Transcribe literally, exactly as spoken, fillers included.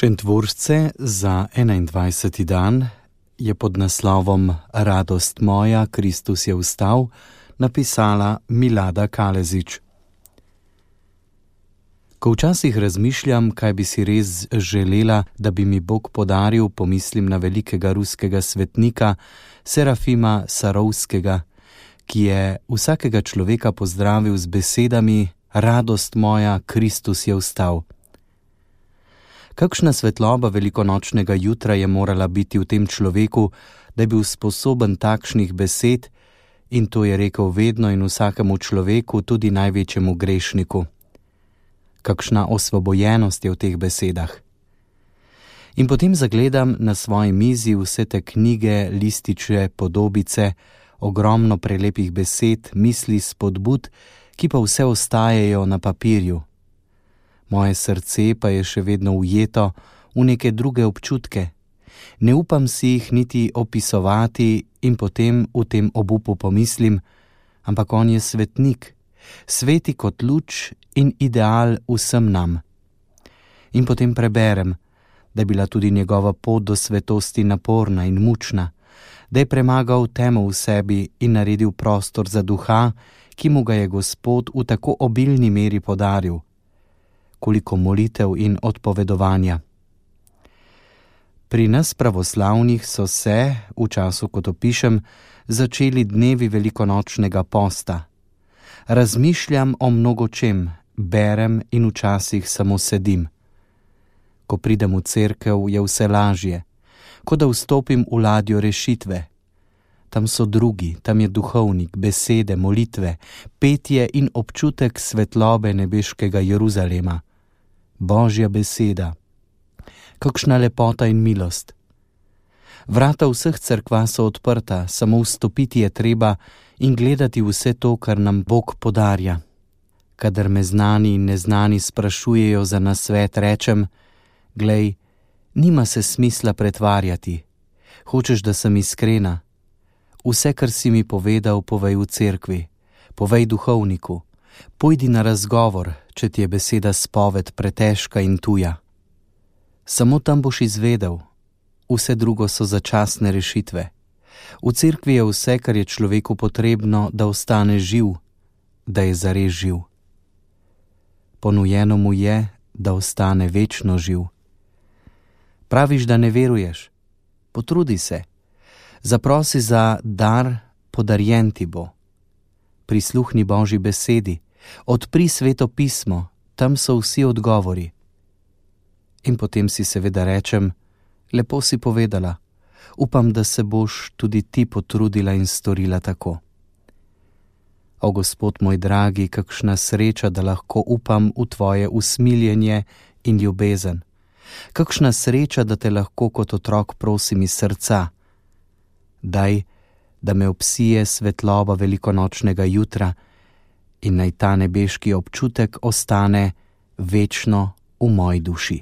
Šentvršce za enaindvajseti dan je pod naslovom Radost moja, Kristus je vstal, napisala Milada Kalezič. Ko včasih razmišljam, kaj bi si res želela, da bi mi Bog podaril, pomislim na velikega ruskega svetnika Serafima Sarovskega, ki je vsakega človeka pozdravil z besedami Radost moja, Kristus je vstal. Kakšna svetloba velikonočnega jutra je morala biti v tem človeku, da je bil sposoben takšnih besed, in to je rekel vedno in vsakemu človeku, tudi največjemu grešniku. Kakšna osvobojenost je v teh besedah. In potem zagledam na svoji mizi vse te knjige, lističe, podobice, ogromno prelepih besed, misli, spodbud, ki pa vse ostajajo na papirju. Moje srce pa je še vedno ujeto v neke druge občutke. Ne upam si jih niti opisovati in potem v tem obupu pomislim, ampak on je svetnik, sveti kot luč in ideal vsem nam. In potem preberem, da je bila tudi njegova pot do svetosti naporna in mučna, da je premagal temo v sebi in naredil prostor za duha, ki mu ga je Gospod v tako obilni meri podaril. Koliko molitev in odpovedovanja. Pri nas pravoslavnih so se, v času, ko to pišem, začeli dnevi velikonočnega posta. Razmišljam o mnogočem, berem in včasih samo sedim. Ko pridem v cerkev, je vse lažje, kot da vstopim v ladjo rešitve. Tam so drugi, tam je duhovnik, besede, molitve, petje in občutek svetlobe nebeškega Jeruzalema. Božja beseda. Kakšna lepota in milost. Vrata vseh cerkva so odprta, samo vstopiti je treba in gledati vse to, kar nam Bog podarja. Kadar me znani in neznani sprašujejo za nasvet, rečem, glej, nima se smisla pretvarjati. Hočeš, da sem iskrena? Vse, kar si mi povedal, povej v cerkvi, povej duhovniku. Pojdi na razgovor, če ti je beseda spoved pretežka in tuja. Samo tam boš izvedel, vse drugo so začasne rešitve. V cerkvi je vse, kar je človeku potrebno, da ostane živ, da je zares živ. Ponujeno mu je, da ostane večno živ. Praviš, da ne veruješ? Potrudi se. Zaprosi za dar, podarjen ti bo. Prisluhni Božji besedi, odpri Sveto pismo, tam so vsi odgovori. In potem si seveda rečem, lepo si povedala, upam, da se boš tudi ti potrudila in storila tako. O Gospod moj dragi, kakšna sreča, da lahko upam v tvoje usmiljenje in ljubezen. Kakšna sreča, da te lahko kot otrok prosim iz srca. Daj, da me obsije svetloba velikonočnega jutra in naj ta nebeški občutek ostane večno v moji duši.